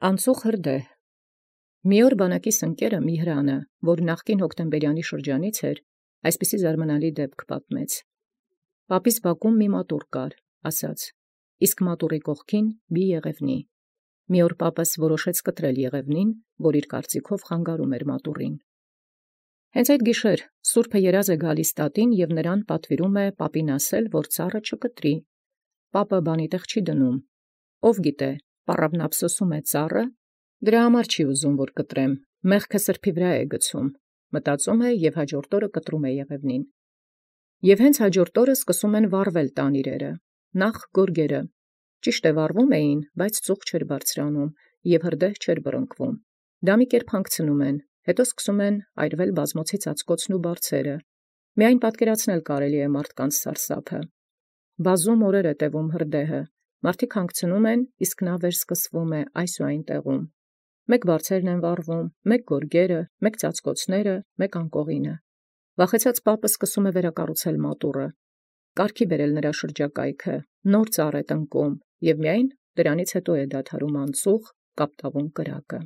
Անցուխ հրդեհ։ Մի օր բանակիս ընկերը Միհրանը, որ նախկին հոկտեմբերյանի շրջանից էր, այսպիսի զարմանալի դեպք պատմեց։ Պապիս բակում մի մատուռ կար, ասաց, իսկ մատուռի կողքին մի եղևնի։ Մի օր պապս որոշեց կտրել եղևնին, որ իր կարծիքով խանգարում էր մատուռին։ Հենց այդ գիշեր սուրբը երազ է գալիս տատին և նրան պատվիրում է պապին ասել, որ ծառը չկտրի։ Պապը բանի տեղ չի դնում։ Ով գիտե, պառավն ափսոսում է ծառը, դրա համար չի ուզում, որ կտրեմ, մեղքը սրբի վրա է գցում, մտածում է և հաջորդ օրը կտրում է եղևնին։ Եվ հենց հաջորդ օրը սկսում են վառվել տան իրերը, նախ գորգերը, ճիշտ է վառվում էին, բայց ծուխ չէր բարձրանում և հրդեհ չէր բռնկվում։ Դա մի կերպ հանգցնում են, հետո սկսում են այրվել բազմոցի ծածկոցն ու բարձերը։ Միայն պատկերացնել կարելի է մարդկանց սարսափը։ Բազում օրեր է տևում հրդեհը, մարդիկ հանգցնում են, իսկ նա վերսկսվում է այս ու այն տեղում։ Մեկ բարձերն են վառվում, մեկ գորգերը, մեկ ծածկոցները, մեկ անկողինը։ Վախեցած պապը սկսում է վերակառուցել մատուռը, կարգի բերել նրա շրջակայքը, նոր ծառ է տնկում, և միայն դրանից հետո է դադարում անցուխ կապտավուն կրակը։